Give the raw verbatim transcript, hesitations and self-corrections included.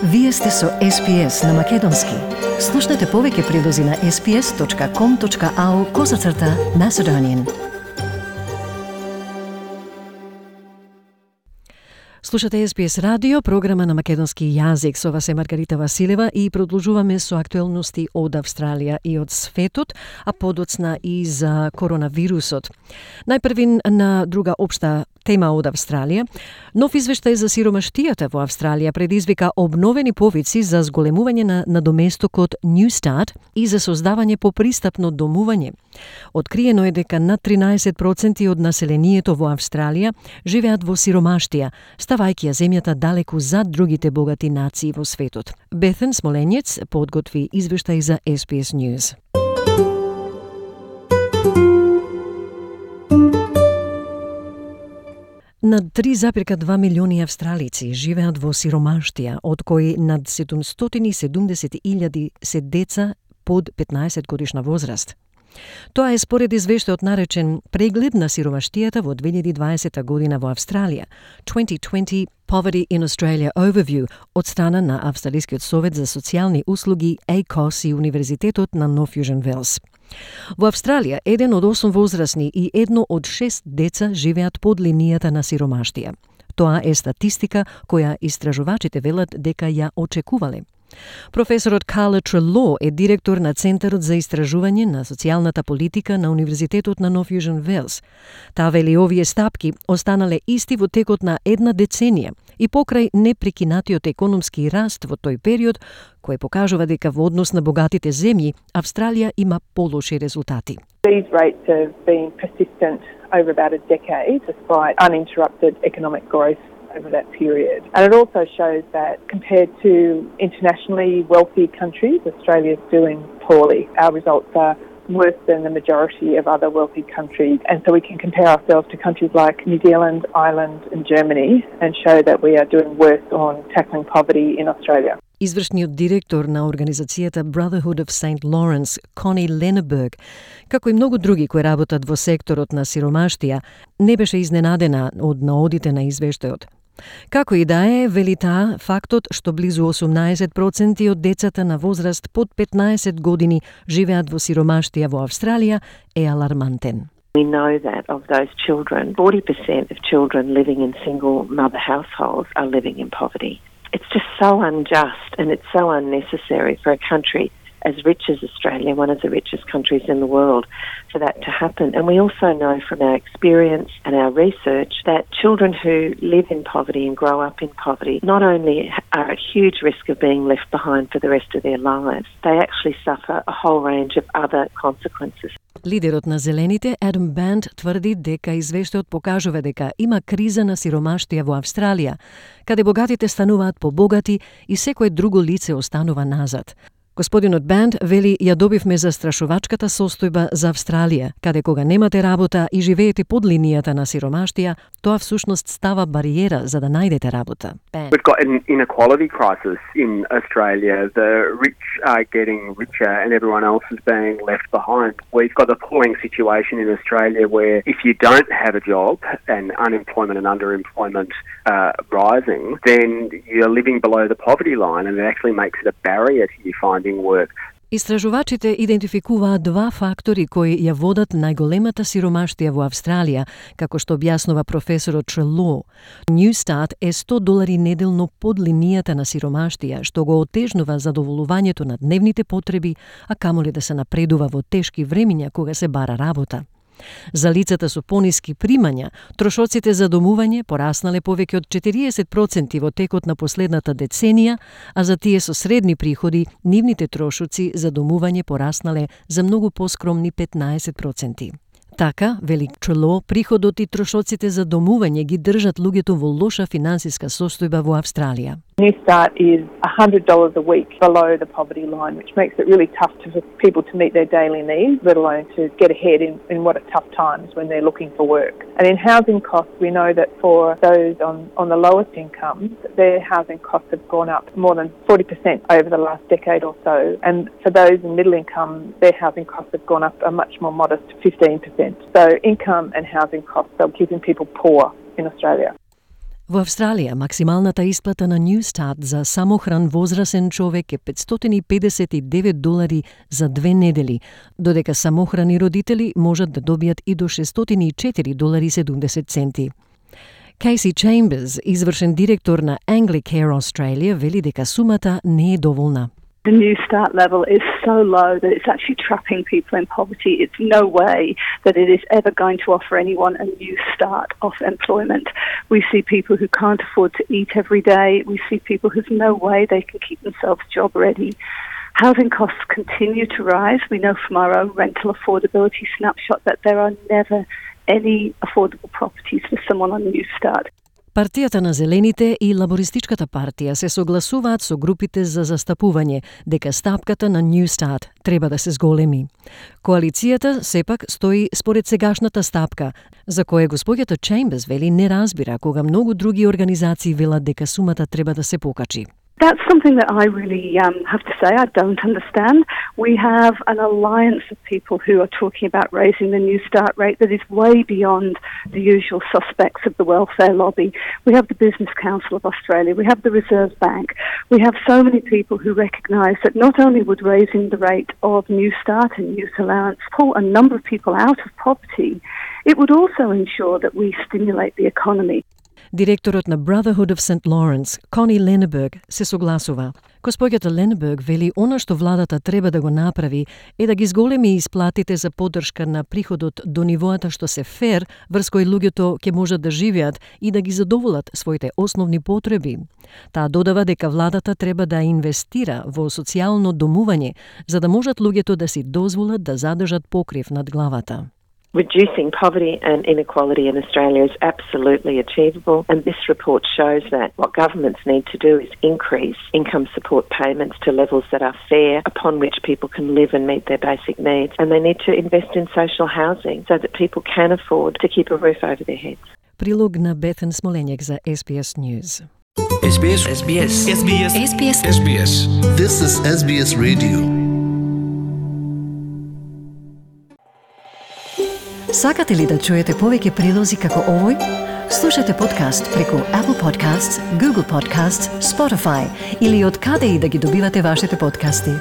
Вие сте со Ес Би Ес на Македонски. Слушнете повеќе прилози на ес би ес точка ком точка ау козацрта Macedonian. Слушате Ес Би Ес радио, програма на македонски јазик. Со вас е Маргарита Василева и продолжуваме со актуелности од Австралија и од светот, а подоцна и за коронавирусот. Најпрвин на друга општа тема од Австралија. Нов извештај за сиромаштијата во Австралија предизвика обновени повици за зголемување на надоместокот Newstart и за создавање попристапно домување. Откриено е дека над тринаесет проценти од населението во Австралија живеат во сиромаштија, ставајќи ја земјата далеку зад другите богати нации во светот. Бетен Смоленец подготви извештај за Ес Би Ес News. Над три зарез и две милиони австралици живеат во сиромаштија, од кои над седумстотини и седумдесет илјади се деца под петнаесет годишна возраст. Тоа е според извештајот наречен Преглед на сиромаштијата во две илјади и дваесета година во Австралија, twenty twenty Poverty in Australia Overview, од страна на Австралискиот совет за социјални услуги А К О С и Универзитетот на Нов Јужен Велс. Во Австралија, еден од осум возрастни и едно од шест деца живеат под линијата на сиромаштија. Тоа е статистика која истражувачите велат дека ја очекувале. Професорот Carla Treloar е директор на Центарот за истражување на социјалната политика на Универзитетот на Нов Јужен Велс. Таа вели овие стапки останале исти во текот на една деценија и покрај непрекинатиот економски раст во тој период, кој покажува дека во однос на богатите земји, Австралија има полоши резултати. These rates have been persistent over about a decade despite uninterrupted economic growth over that period. And it also shows that compared to internationally wealthy countries, Australia is doing poorly. Our results are worse than the majority of other wealthy countries. And so we can compare ourselves to countries like New Zealand, Ireland and Germany and show that we are doing worse on tackling poverty in Australia. Извршниот директор на организацијата Brotherhood of Saint Lawrence, Connie Lenneberg, како и многу други кои работат во секторот на сиромаштија, не беше изненадена од наодите на извештајот. Како и да е, вели таа, фактот што близу осумнаесет проценти од децата на возраст под петнаесет години живеат во сиромаштија во Австралија е алармантен. We know that of those children, forty percent of children living in single mother households are living in poverty. It's just so unjust and it's so unnecessary for a country as rich as Australia, one of the richest countries in the world, for that to happen. And we also know from our experience and our research that children who live in poverty and grow up in poverty not only are at huge risk of being left behind for the rest of their lives, they actually suffer a whole range of other consequences. Лидерот на Зелените, Адам Банд, тврди дека извештајот покажува дека има криза на сиромаштија во Австралија, каде богатите стануваат побогати и секое друго лице останува назад. Господинот Банд вели ја добивме застрашувачката состојба за Австралија, каде кога немате работа и живеете под линијата на сиромаштија, тоа всушност става бариера за да најдете работа. Band. We've got an inequality crisis in Australia. The rich are getting richer and everyone else is being left behind. We've got a appalling situation in Australia where if you don't have a job and unemployment and underemployment uh, rising, then you're living below the poverty line and it actually makes it a barrier to you finding work. Истражувачите идентификуваат два фактори кои ја водат најголемата сиромаштија во Австралија, како што објаснува професорот Treloar. Newstart е сто долари неделно под линијата на сиромаштија, што го отежнува задоволувањето на дневните потреби, а камоли да се напредува во тешки времиња кога се бара работа. За лицата со пониски примања, трошоците за домување пораснале повеќе од четириесет проценти во текот на последната деценија, а за тие со средни приходи, нивните трошоци за домување пораснале за многу поскромни петнаесет проценти. Така, вели Treloar, приходот и трошоците за домување ги држат луѓето во лоша финансиска состојба во Австралија. Newstart is one hundred dollars a week below the poverty line, which makes it really tough to, for people to meet their daily needs, let alone to get ahead in, in what are tough times when they're looking for work. And in housing costs, we know that for those on, on the lowest incomes, their housing costs have gone up more than forty percent over the last decade or so. And for those in middle income, their housing costs have gone up a much more modest fifteen percent. So income and housing costs are keeping people poor in Australia. Во Австралија, максималната исплата на New Start за самохран возрасен човек е петстотини и педесет и девет долари за две недели, додека самохрани родители можат да добијат и до шестстотини и четири долари и седумдесет центи. Кейси Чемберс, извршен директор на Anglicare Australia, вели дека сумата не е доволна. The New Start level is so low that it's actually trapping people in poverty. It's no way that it is ever going to offer anyone a new start of employment. We see people who can't afford to eat every day. We see people who've no way they can keep themselves job ready. Housing costs continue to rise. We know from our own rental affordability snapshot that there are never any affordable properties for someone on New Start. Партијата на Зелените и Лабористичката партија се согласуваат со групите за застапување дека стапката на New Start треба да се зголеми. Коалицијата сепак стои според сегашната стапка, за која господјата Чемберс вели не разбира кога многу други организации велат дека сумата треба да се покачи. That's something that I really um, have to say I don't understand. We have an alliance of people who are talking about raising the New Start rate that is way beyond the usual suspects of the welfare lobby. We have the Business Council of Australia. We have the Reserve Bank. We have so many people who recognise that not only would raising the rate of New Start and youth allowance pull a number of people out of poverty, it would also ensure that we stimulate the economy. Директорот на Brotherhood of Saint Lawrence, Connie Lenneberg, се согласува. Госпоѓата Ленеберг вели она што владата треба да го направи е да ги зголеми исплатите за поддршка на приходот до нивоата што се фер, врз кои луѓето ќе можат да живеат и да ги задоволат своите основни потреби. Таа додава дека владата треба да инвестира во социјално домување, за да можат луѓето да си дозволат да задржат покрив над главата. Reducing poverty and inequality in Australia is absolutely achievable, and this report shows that what governments need to do is increase income support payments to levels that are fair, upon which people can live and meet their basic needs, and they need to invest in social housing so that people can afford to keep a roof over their heads. Прилог на Бетен Смоленјак за S B S News. S B S S B S S B S S B S S B S This is S B S Radio. Сакате ли да чуете повеќе прилози како овој? Слушате подкаст преку Apple Podcasts, Google Podcasts, Spotify или од каде и да ги добивате вашите подкасти.